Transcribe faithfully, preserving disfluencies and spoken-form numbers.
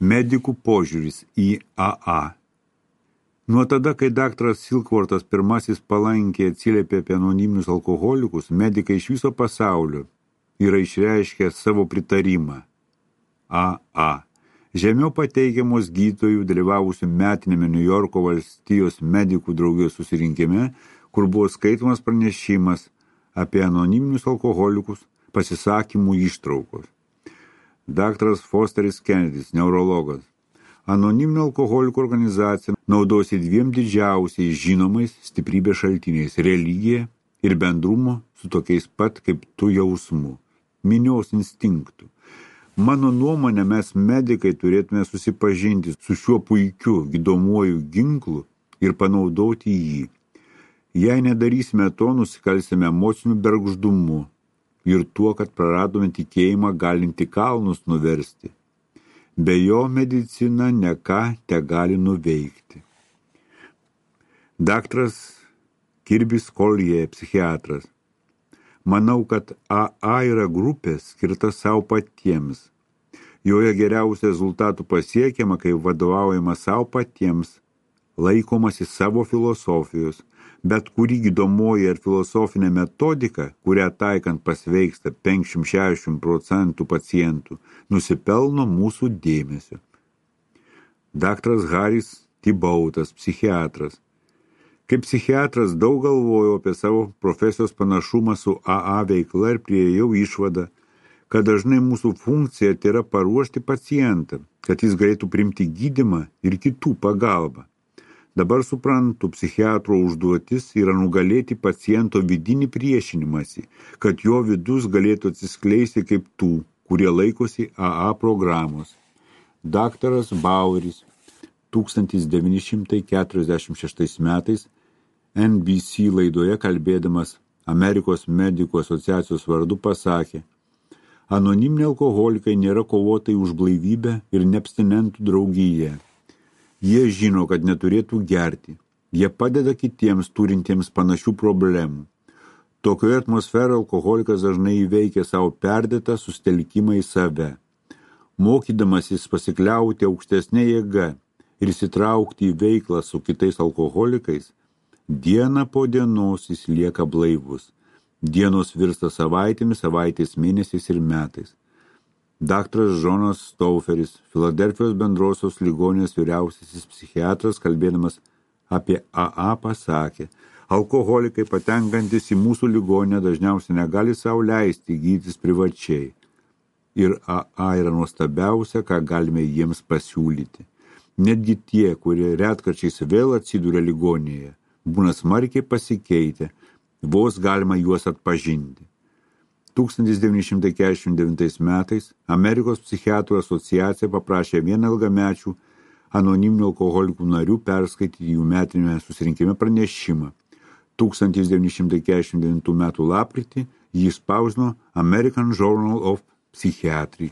Medikų požiūris į A A. Nuo tada, kai daktaras Silkvortas pirmasis palankiai atsiliepė apie anoniminius alkoholikus, medikai iš viso pasaulio yra išreiškę savo pritarimą. A A. Žemiau pateikiamos gydytojų dalyvavusių metinėme New Yorko valstijos medikų draugijos susirinkime, kur buvo skaitomas pranešimas apie anoniminius alkoholikus, pasisakymų ištraukos. Daktaras Fosteris Kennedys, neurologas. Anoniminio alkoholikų organizacija naudosi dviem didžiausiais žinomais stiprybės šaltiniais – religija ir bendrumo su tokiais pat kaip tu jausmu, minios instinktų. Mano nuomonė, mes medikai turėtume susipažinti su šiuo puikiu gydomuoju ginklu ir panaudoti jį. Jei nedarysime to, nusikalsime emociniu bergždumu ir tuo, kad praradome tikėjimą galinti kalnus nuversti. Be jo medicina ne ką te gali nuveikti. Daktaras Kirbis Collier, psichiatras. Manau, kad A A yra grupė skirta savo patiems. Joje geriausių rezultatų pasiekiama, kai vadovaujama savo patiems, laikomasi savo filosofijos, bet kuri gydomoji ir filosofinė metodika, kurią taikant pasveiksta penkiasdešimt šešiasdešimt procentų pacientų, nusipelno mūsų dėmesio. Daktaras Haris Tibautas, psichiatras. Kaip psichiatras daug galvojau apie savo profesijos panašumą su A A veikla ir priėjau išvadą, kad dažnai mūsų funkcija tai yra paruošti pacientą, kad jis galėtų priimti gydymą ir kitų pagalbą. Dabar suprantu, psichiatro užduotis yra nugalėti paciento vidinį priešinimąsi, kad jo vidus galėtų atsiskleisti kaip tų, kurie laikosi A A programos. Daktaras Baueris tūkstantis devyni šimtai keturiasdešimt šeštais metais N B C laidoje kalbėdamas Amerikos medikų asociacijos vardu pasakė: anoniminiai alkoholikai nėra kovotojai už blaivybę ir neabstinentų draugiją. Jie žino, kad neturėtų gerti. Jie padeda kitiems turintiems panašių problemų. Tokioje atmosferoje alkoholikas dažnai įveikia savo perdėtą sustelkimą į save. Mokydamasis pasikliauti aukštesnė jėga ir įsitraukti į veiklą su kitais alkoholikais, dieną po dienos jis lieka blaivus. Dienos virsta savaitėmis, savaitės mėnesiais ir metais. Daktaras Džonas Stauferis, Filadelfijos bendrosios ligoninės vyriausiasis psichiatras, kalbėdamas apie A A, pasakė: alkoholikai patenkantis į mūsų ligoninę dažniausiai negali sau leisti gydytis privačiai. Ir A A yra nuostabiausia, ką galime jiems pasiūlyti. Netgi tie, kurie retkarčiais vėl atsiduria ligoninėje, būna smarkiai pasikeitę, vos galima juos atpažinti. tūkstantis devyni šimtai keturiasdešimt devintais metais Amerikos psichiatrų asociacija paprašė vieną ilgamečių anoniminių alkoholikų narių perskaityti jų metinėme susirinkime pranešimą. tūkstantis devyni šimtai keturiasdešimt devintų metų lapkritį jį spausdino American Journal of Psychiatry.